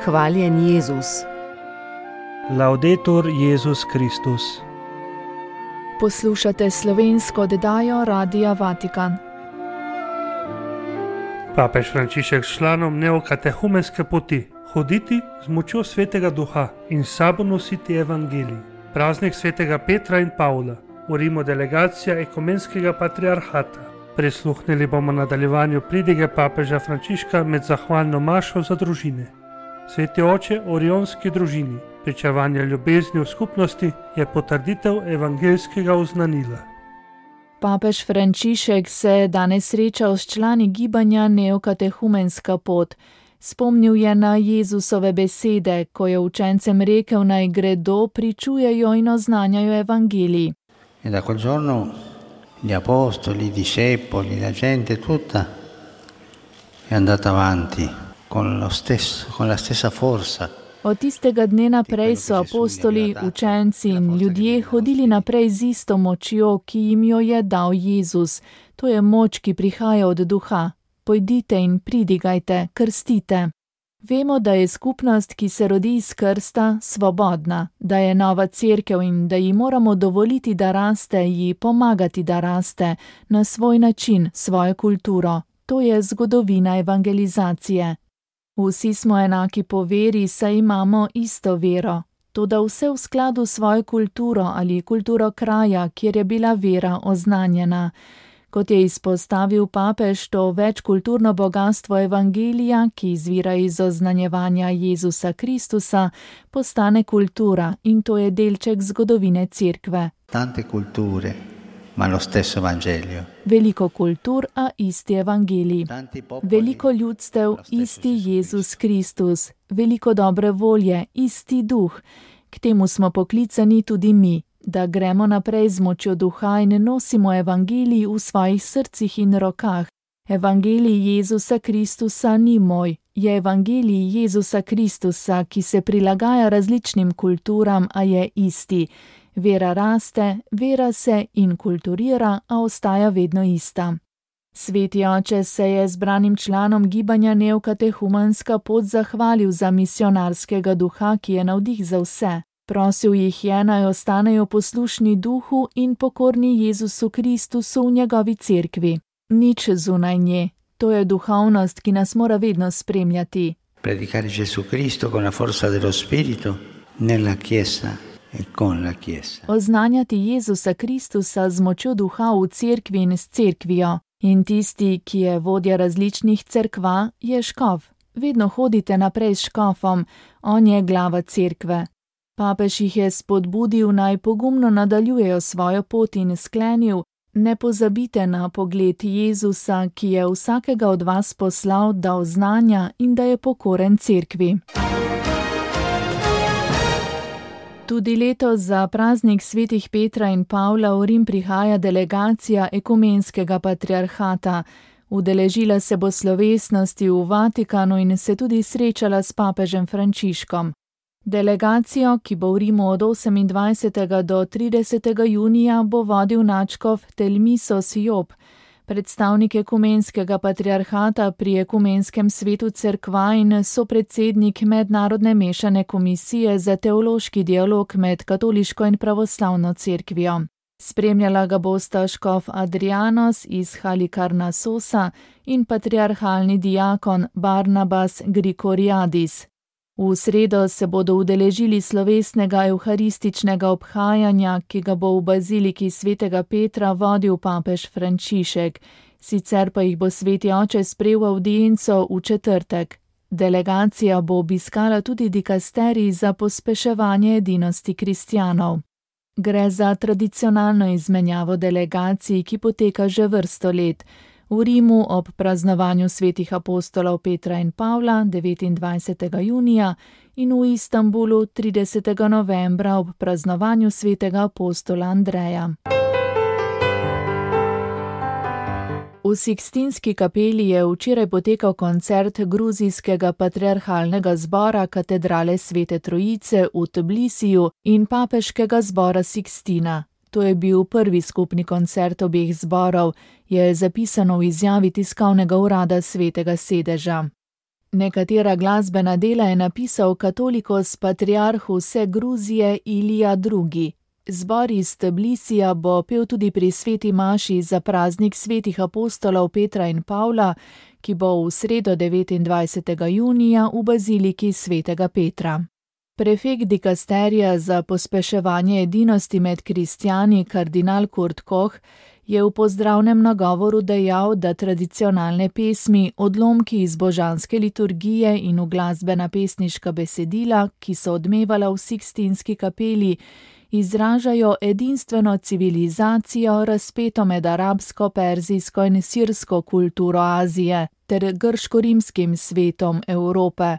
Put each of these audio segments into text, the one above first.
Hvaljen Jezus. Laudetur Jezus Kristus. Poslušate slovensko oddajo Radia Vatikan. Papež Frančišek s članom neokatehumenske poti hoditi z močjo Svetega Duha in s sabo nositi evangelij. Praznik Svetega Petra in Pavla. V Rimu delegacija ekumenskega patriarhata. Prisluhnili bomo nadaljevanju pridige papeža Frančiška med zahvalno mašo za družine. Sveti oče orionski družini, pričevanje ljubezni v skupnosti je potrditev evangeljskega oznanila. Papež Frančišek se je danes srečal s člani gibanja Neokatehumenska pot. Spomnil je na Jezusove besede, ko je učencem rekel, naj gredo, pričujejo in oznanjajo evangelij. E da quel giorno gli apostoli, i discepoli, la gente tutta è andata avanti con la stessa forza. Od tistega dne naprej so apostoli, učenci in ljudje hodili naprej z isto močjo, ki jim jo je dal Jezus. To je moč, ki prihaja od Duha. Pojdite in pridigajte, krstite. Vemo, da je skupnost, ki se rodi iz krsta, svobodna, da je nova cerkev in da ji moramo dovoliti, da raste, ji pomagati, da raste, na svoj način, svojo kulturo. To je zgodovina evangelizacije. Vsi smo enaki po veri, saj imamo isto vero. Toda vse v skladu s svojo kulturo ali kulturo kraja, kjer je bila vera oznanjena. Kot je izpostavil papež, to večkulturno bogatstvo evangelija, ki izvira iz oznanjevanja Jezusa Kristusa, postane kultura in to je delček zgodovine cerkve. Tante culture, ma lo stesso Evangelio. Veliko kultur, a isti evangelij. Veliko ljudstev, isti Jezus Kristus. Veliko dobre volje, isti duh. K temu smo poklicani tudi mi, da gremo naprej z močjo duha in nosimo evangelij v svojih srcih in rokah. Evangelij Jezusa Kristusa ni moj, je evangelij Jezusa Kristusa, ki se prilagaja različnim kulturam, a je isti. Vera raste, vera se inkulturira, a ostaja vedno ista. Sveti oče se je zbranim članom gibanja Neokatehumenska pot zahvalil za misionarskega duha, ki je navdih za vse. Prosil jih je, naj ostanejo poslušni duhu in pokorni Jezusu Kristusu v njegovi cerkvi. Nič zunaj nje. To je duhovnost, ki nas mora vedno spremljati. Predicare Gesù Cristo con la forza dello Spirito nella Chiesa e con la Chiesa. Oznanjati Jezusa Kristusa z močjo duha v cerkvi in s cerkvijo. In tisti, ki je vodja različnih cerkva, je škof. Vedno hodite naprej s škofom, on je glava cerkve. Papež jih je spodbudil, naj pogumno nadaljujejo svojo pot in sklenil, ne pozabite na pogled Jezusa, ki je vsakega od vas poslal, da oznanja in da je pokoren cerkvi. Tudi letos za praznik svetih Petra in Pavla v Rim prihaja delegacija ekumenskega patriarhata. Udeležila se bo slovesnosti v Vatikanu in se tudi srečala s papežem Frančiškom. Delegacijo, ki bo v Rimu od 28. do 30. junija, bo vodil nadškof Telmisos Job, predstavnik ekumenskega patriarhata pri ekumenskem svetu cerkva in sopredsednik mednarodne mešane komisije za teološki dialog med katoliško in pravoslavno cerkvijo. Spremljala ga bosta škof Adrianos iz Halikarnasosa in patriarhalni diakon Barnabas Grigoriadis. V sredo se bodo udeležili slovesnega evharističnega obhajanja, ki ga bo v baziliki svetega Petra vodil papež Frančišek. Sicer pa jih bo sveti oče sprejel v avdienco v četrtek. Delegacija bo obiskala tudi dikasterij za pospeševanje edinosti kristjanov. Gre za tradicionalno izmenjavo delegacij, ki poteka že vrsto let. V Rimu ob praznovanju svetih apostolov Petra in Pavla 29. junija in v Istanbulu 30. novembra ob praznovanju svetega apostola Andreja. V Sikstinski kapeli je včeraj potekal koncert gruzijskega patriarhalnega zbora katedrale Svete Trojice v Tbilisiju in papeškega zbora Sikstina. To je bil prvi skupni koncert obeh zborov, je zapisano v izjavi tiskovnega urada Svetega sedeža. Nekatera glasbena dela je napisal katolikos patriarh vse Gruzije Ilija II. Zbor iz Tbilisija bo pel tudi pri sveti maši za praznik svetih apostolov Petra in Pavla, ki bo v sredo 29. junija v baziliki svetega Petra. Prefekt dikasterija za pospeševanje edinosti med kristjani kardinal Kurt Koch je v pozdravnem nagovoru dejal, da tradicionalne pesmi, odlomki iz božanske liturgije in uglasbena pesniška besedila, ki so odmevala v Sikstinski kapeli, izražajo edinstveno civilizacijo, razpeto med arabsko, perzijsko in sirsko kulturo Azije ter grško-rimskim svetom Evrope.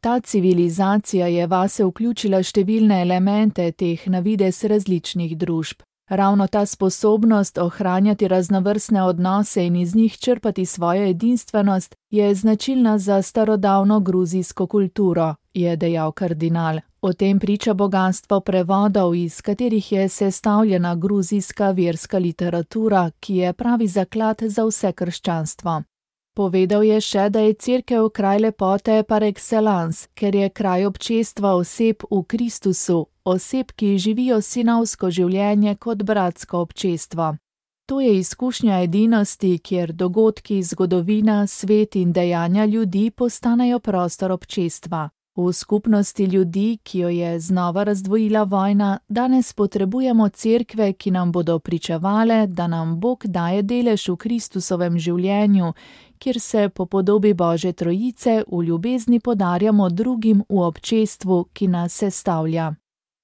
Ta civilizacija je vase vključila številne elemente teh na videz različnih družb. Ravno ta sposobnost ohranjati raznovrstne odnose in iz njih črpati svojo edinstvenost je značilna za starodavno gruzijsko kulturo, je dejal kardinal. O tem priča bogastvo prevodov, iz katerih je sestavljena gruzijska verska literatura, ki je pravi zaklad za vse krščanstvo. Povedal je še, da je cerkev kraj lepote par excellence, ker je kraj občestva oseb v Kristusu, oseb, ki živijo sinovsko življenje kot bratsko občestvo. To je izkušnja edinosti, kjer dogodki, zgodovina, svet in dejanja ljudi postanejo prostor občestva. V skupnosti ljudi, ki jo je znova razdvojila vojna, danes potrebujemo cerkve, ki nam bodo pričevale, da nam Bog daje delež v Kristusovem življenju, kjer se po podobi Božje Trojice v ljubezni podarjamo drugim v občestvu, ki nas sestavlja.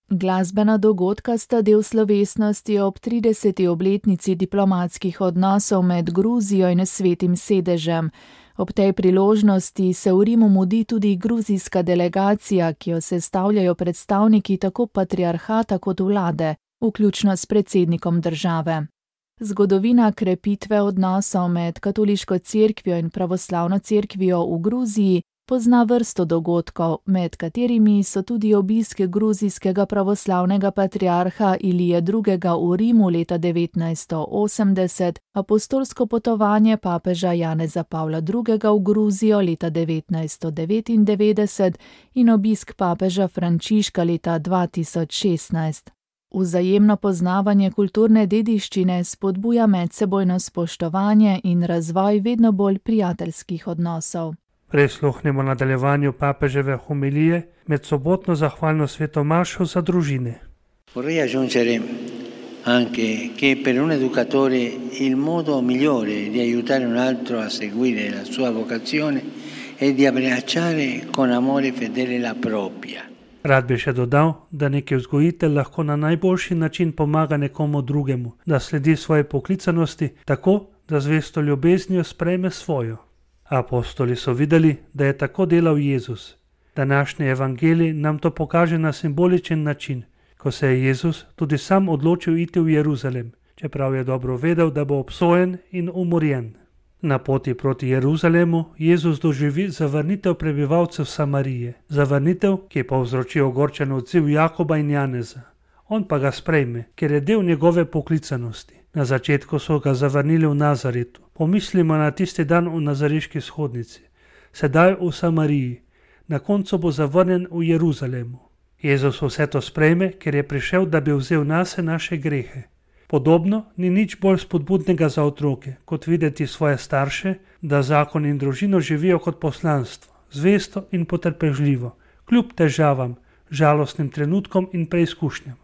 Glasbena dogodka sta del slovesnosti ob 30. obletnici diplomatskih odnosov med Gruzijo in Svetim sedežem. Ob tej priložnosti se v Rimu mudi tudi gruzijska delegacija, ki jo sestavljajo predstavniki tako patriarhata kot vlade, vključno s predsednikom države. Zgodovina krepitve odnosov med katoliško cerkvijo in pravoslavno cerkvijo v Gruziji pozna vrsto dogodkov, med katerimi so tudi obisk gruzijskega pravoslavnega patriarha Ilije II. V Rimu leta 1980, apostolsko potovanje papeža Janeza Pavla II. V Gruzijo leta 1999 in obisk papeža Frančiška leta 2016. Vzajemno poznavanje kulturne dediščine spodbuja medsebojno spoštovanje in razvoj vedno bolj prijateljskih odnosov. Prisluhnimo nadaljevanju papeževe homilije med sobotno zahvalno sveto mašo za družine. Vorrei aggiungere anche che per un educatore il modo migliore di aiutare un altro a seguire la sua vocazione è di abbracciare con amore fedele la propria. Rad bi še dodal, da neki vzgojitelj lahko na najboljši način pomaga nekomu drugemu, da sledi svoji poklicanosti tako, da zvesto ljubeznijo sprejme svojo. Apostoli so videli, da je tako delal Jezus. Današnji evangelij nam to pokaže na simboličen način, ko se je Jezus tudi sam odločil iti v Jeruzalem, čeprav je dobro vedel, da bo obsojen in umorjen. Na poti proti Jeruzalemu Jezus doživi zavrnitev prebivalcev Samarije, zavrnitev, ki povzroči ogorčen odziv Jakoba in Janeza. On pa ga sprejme, ker je del njegove poklicanosti. Na začetku so ga zavrnili v Nazaretu. Pomislimo na tisti dan v nazareški shodnici. Sedaj v Samariji. Na koncu bo zavrnjen v Jeruzalemu. Jezus vse to sprejme, ker je prišel, da bi vzel nase naše grehe. Podobno ni nič bolj spodbudnega za otroke, kot videti svoje starše, da zakon in družino živijo kot poslanstvo, zvesto in potrpežljivo, kljub težavam, žalostnim trenutkom in preizkušnjam.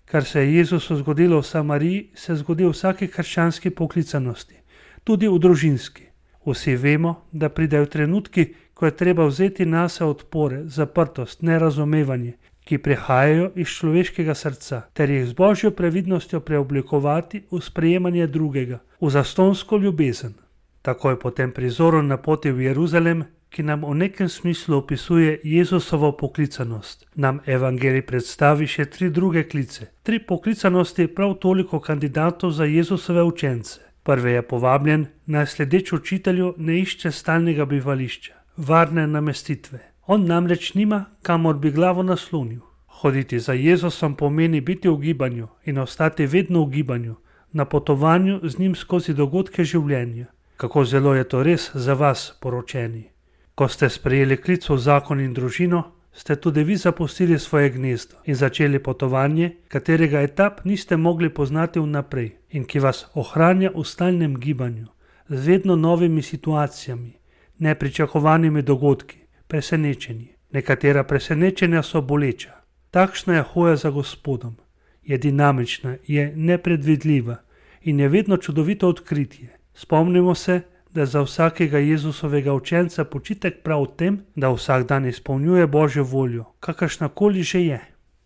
Kar se je Jezusu zgodilo v Samariji, se zgodi v vsaki krščanski poklicanosti, tudi v družinski. Vsi vemo, da pridejo trenutki, ko je treba vzeti nase odpore, zaprtost, nerazumevanje, ki prihajajo iz človeškega srca, ter jih z Božjo previdnostjo preoblikovati v sprejemanje drugega, v zastonsko ljubezen. Takoj po tem prizoru na poti v Jeruzalem, ki nam v nekem smislu opisuje Jezusovo poklicanost, nam evangelij predstavi še 3 druge klice. 3 poklicanosti prav toliko kandidatov za Jezusove učence. Prvi je povabljen, naj sledeč učitelju ne išče stalnega bivališča, varne namestitve. On namreč nima, kamor bi glavo naslonil. Hoditi za Jezusom pomeni biti v gibanju in ostati vedno v gibanju, na potovanju z njim skozi dogodke življenja. Kako zelo je to res za vas, poročeni. Ko ste sprejeli klic v zakon in družino, ste tudi vi zapustili svoje gnezdo in začeli potovanje, katerega etap niste mogli poznati vnaprej in ki vas ohranja v stalnem gibanju, z vedno novimi situacijami, nepričakovanimi dogodki, presenečenji. Nekatera presenečenja so boleča. Takšna je hoja za Gospodom. Je dinamična, je nepredvidljiva in je vedno čudovito odkritje. Spomnimo se, da je za vsakega Jezusovega učenca počitek prav v tem, da vsak dan izpolnjuje Božjo voljo, kakršnakoli že je.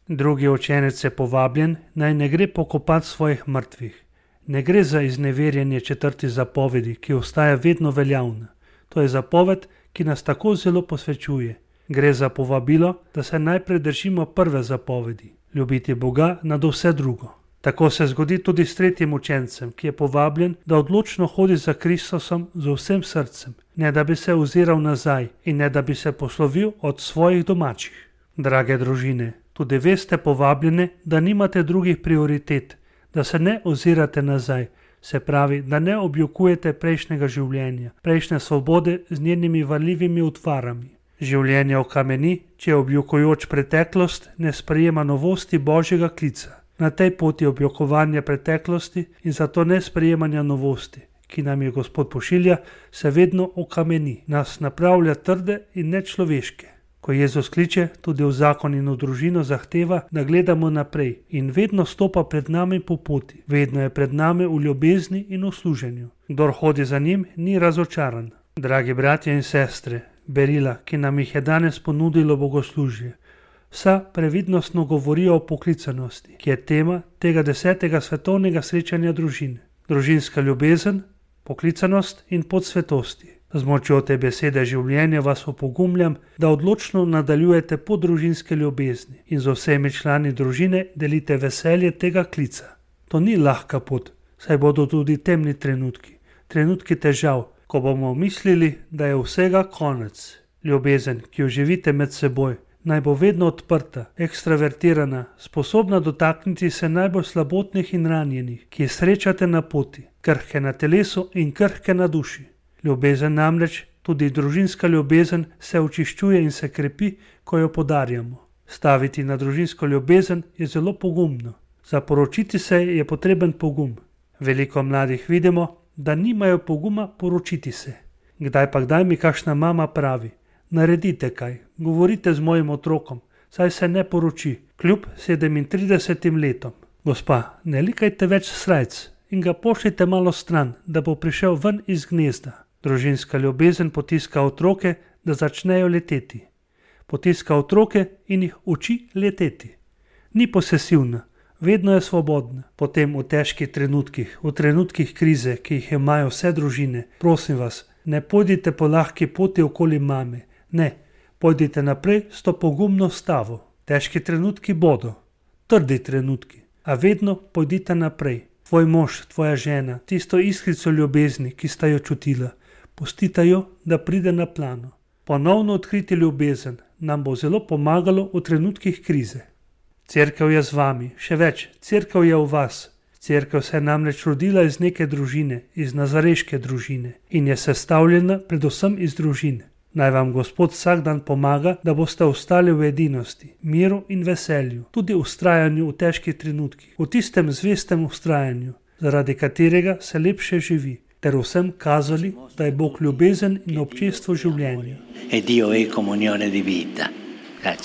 Drugi učenec je povabljen, naj ne gre pokopati svojih mrtvih. Ne gre za izneverjanje 4. zapovedi, ki ostaja vedno veljavna. To je zapoved, ki nas tako zelo posvečuje. Gre za povabilo, da se najprej držimo prve zapovedi, ljubiti Boga nad vse drugo. Tako se zgodi tudi s tretjim učencem, ki je povabljen, da odločno hodi za Kristusom z vsem srcem, ne da bi se oziral nazaj in ne da bi se poslovil od svojih domačih. Drage družine, tudi vi ste povabljene, da nimate drugih prioritet, da se ne ozirate nazaj, se pravi, da ne objokujete prejšnjega življenja, prejšnje svobode z njenimi varljivimi utvarami. Življenje okameni, če objokujoč preteklost ne sprejema novosti Božjega klica. Na tej poti objokovanja preteklosti in zato ne sprejemanja novosti, ki nam je Gospod pošilja, se vedno okameni, nas napravlja trde in nečloveške. Ko Jezus kliče, tudi v zakon in v družino zahteva, da gledamo naprej in vedno stopa pred nami po poti, vedno je pred nami v ljubezni in v služenju. Kdor hodi za njim, ni razočaran. Dragi bratje in sestre, berila, ki nam jih je danes ponudilo bogoslužje, vsa previdnostno govorijo o poklicanosti, ki je tema tega 10. svetovnega srečanja družine. Družinska ljubezen, poklicanost in pot svetosti. Z močjo te besede življenja vas opogumljam, da odločno nadaljujete po družinske ljubezni in z vsemi člani družine delite veselje tega klica. To ni lahka pot, saj bodo tudi temni trenutki, trenutki težav, ko bomo mislili, da je vsega konec. Ljubezen, ki jo živite med seboj, naj bo vedno odprta, ekstravertirana, sposobna dotakniti se najbolj slabotnih in ranjenih, ki jih srečate na poti, krhke na telesu in krhke na duši. Ljubezen namreč, tudi družinska ljubezen, se očiščuje in se krepi, ko jo podarjamo. Staviti na družinsko ljubezen je zelo pogumno. Za poročiti se je potreben pogum. Veliko mladih vidimo, da nimajo poguma poročiti se. Kdaj mi kakšna mama pravi: naredite kaj, govorite z mojim otrokom, saj se ne poroči, kljub 37 letom. Gospa, ne likajte več srajc in ga pošljite malo stran, da bo prišel ven iz gnezda. Družinska ljubezen potiska otroke, da začnejo leteti. Potiska otroke in jih uči leteti. Ni posesivna, vedno je svobodna. Potem v težkih trenutkih, v trenutkih krize, ki jih imajo vse družine, prosim vas, ne pojdite po lahki poti okoli mame. Ne, pojdite naprej s to pogumno stavo. Težki trenutki bodo, trdi trenutki, a vedno pojdite naprej. Tvoj mož, tvoja žena, tisto iskrico ljubezni, ki sta jo čutila, pustite jo, da pride na plano. Ponovno odkriti ljubezen nam bo zelo pomagalo v trenutkih krize. Cerkev je z vami, še več, cerkev je v vas. Cerkev se je namreč rodila iz neke družine, iz nazareške družine in je sestavljena predvsem iz družine. Naj vam Gospod vsak dan pomaga, da boste ostali v edinosti, miru in veselju, tudi v vztrajanju v težkih trenutkih, v tistem zvestem vztrajanju, zaradi katerega se lepše živi, ter vsem kazali, da je Bog ljubezen in občestvo življenja.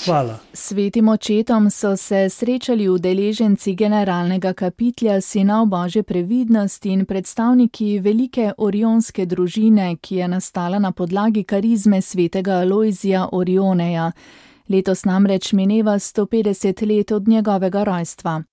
Hvala. Svetim očetom so se srečali udeleženci generalnega kapitlja Sinov Božje previdnosti in predstavniki velike orionske družine, ki je nastala na podlagi karizme svetega Alojzija Orioneja. Letos namreč mineva 150 let od njegovega rojstva.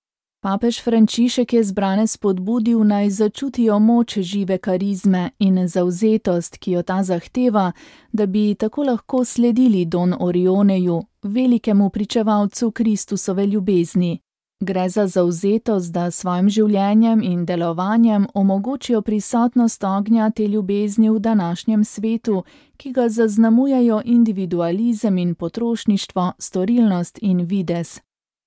Papež Frančišek je zbrane spodbudil, naj začutijo moč žive karizme in zavzetost, ki jo ta zahteva, da bi tako lahko sledili Don Orioneju, velikemu pričevalcu Kristusove ljubezni. Gre za zavzetost, da svojim življenjem in delovanjem omogočijo prisotnost ognja te ljubezni v današnjem svetu, ki ga zaznamujejo individualizem in potrošništvo, storilnost in videz.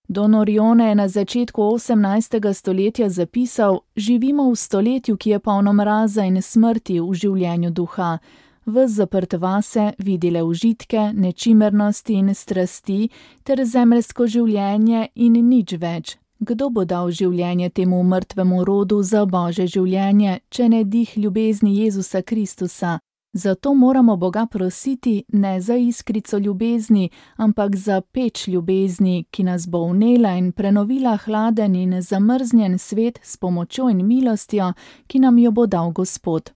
Don Orione je na začetku 18. stoletja zapisal: živimo v stoletju, ki je polno mraza in smrti v življenju duha. ves zaprt vase, vidi le užitke, nečimernosti in strasti ter zemeljsko življenje in nič več. Kdo bo dal življenje temu mrtvemu rodu za Božje življenje, če ne dih ljubezni Jezusa Kristusa? Zato moramo Boga prositi ne za iskrico ljubezni, ampak za peč ljubezni, ki nas bo vnela in prenovila hladen in zamrznjen svet s pomočjo in milostjo, ki nam jo bo dal Gospod.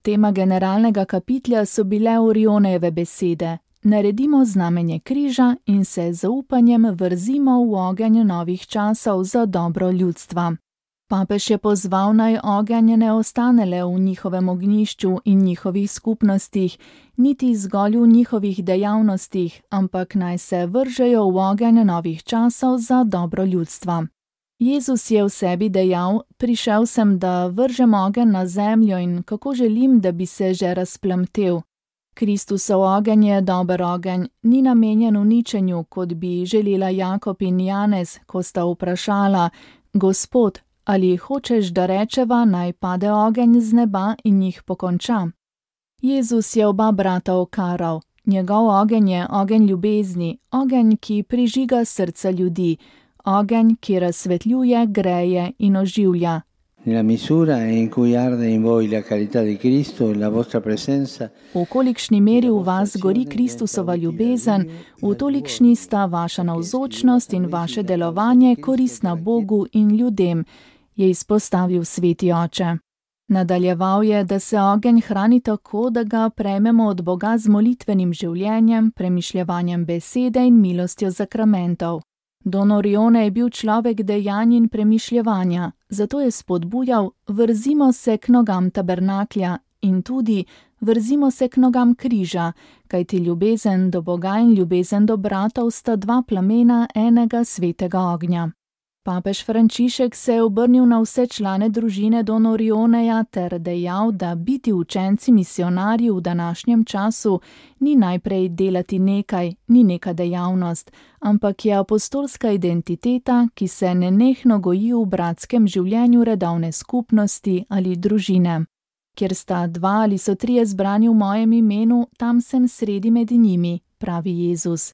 Tema generalnega kapitlja so bile Orionejeve besede: naredimo znamenje križa in se z zaupanjem vrzimo v ogenj novih časov za dobro ljudstva. Papež je pozval, naj ogenj ne ostane le v njihovem ognjišču in njihovih skupnostih, niti zgolj v njihovih dejavnostih, ampak naj se vržejo v ogenj novih časov za dobro ljudstva. Jezus je v sebi dejal: prišel sem, da vržem ogenj na zemljo in kako želim, da bi se že razplamtel. Kristusov ogenj je dober ogenj, ni namenjen uničenju, kot bi želela Jakob in Janez, ko sta vprašala: Gospod, ali hočeš, da rečeva, naj pade ogenj z neba in jih pokonča? Jezus je oba brata okaral. Njegov ogenj je ogenj ljubezni, ogenj, ki prižiga srca ljudi, ogenj, ki razsvetljuje, greje in oživlja. Nella misura in cui arde in voi la carità di Cristo e la vostra presenza. V kolikšni meri v vas gori Kristusova ljubezen, v tolikšni sta vaša navzočnost in vaše delovanje koristna Bogu in ljudem, je izpostavil sveti oče. Nadaljeval je, da se ogenj hrani tako, da ga prejmemo od Boga z molitvenim življenjem, premišljevanjem besede in milostjo sakramentov. Don Orione je bil človek dejanj in premišljevanja, zato je spodbujal: vrzimo se k nogam tabernaklja in tudi vrzimo se k nogam križa, kajti ljubezen do Boga in ljubezen do bratov sta dva plamena enega svetega ognja. Papež Frančišek se je obrnil na vse člane družine Don Orioneja ter dejal, da biti učenci misionarji v današnjem času ni najprej delati nekaj, ni neka dejavnost, ampak je apostolska identiteta, ki se nenehno goji v bratskem življenju redovne skupnosti ali družine. Kjer sta dva ali so trije zbrani v mojem imenu, tam sem sredi med njimi, pravi Jezus.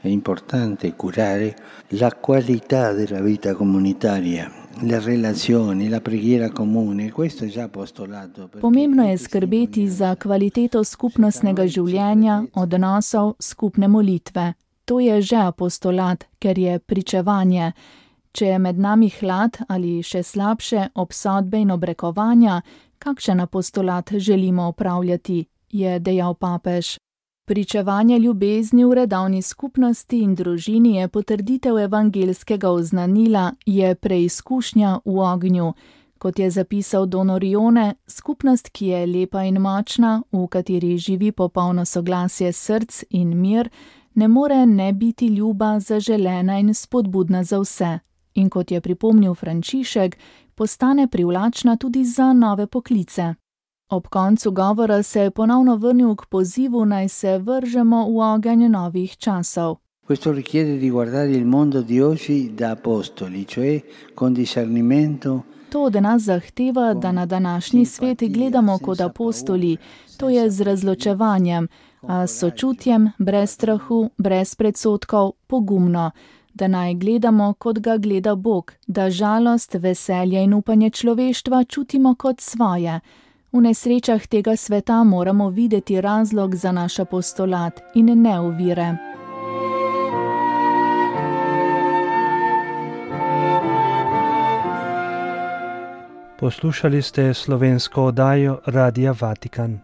È importante curare la qualità della vita comunitaria, le relazioni, la preghiera comune, questo è già apostolato. Pomembno je skrbeti za kvaliteto skupnostnega življenja, odnosov, skupne molitve. To je že apostolat, ker je pričevanje. Če je med nami hlad ali še slabše obsodbe in obrekovanja, kakšen apostolat želimo opravljati, je dejal papež. Pričevanje ljubezni v redovni skupnosti in družini je potrditev evangelskega oznanila, je preizkušnja v ognju. Kot je zapisal Don Orione, skupnost, ki je lepa in močna, v kateri živi popolno soglasje src in mir, ne more ne biti ljuba, zaželena in spodbudna za vse. In kot je pripomnil Frančišek, postane privlačna tudi za nove poklice. Ob koncu govora se je ponovno vrnil k pozivu, naj se vržemo v ogenj novih časov. Questo richiede di guardare il mondo di oggi da apostoli, cioè con discernimento. To od nas zahteva, da na današnji svet gledamo kot apostoli, to je z razločevanjem, a s sočutjem, brez strahu, brez predsodkov, pogumno, da naj gledamo, kot ga gleda Bog, da žalost, veselje in upanje človeštva čutimo kot svoje. V nesrečah tega sveta moramo videti razlog za naš apostolat in ne ovire. Poslušali ste slovensko oddajo Radia Vatikan.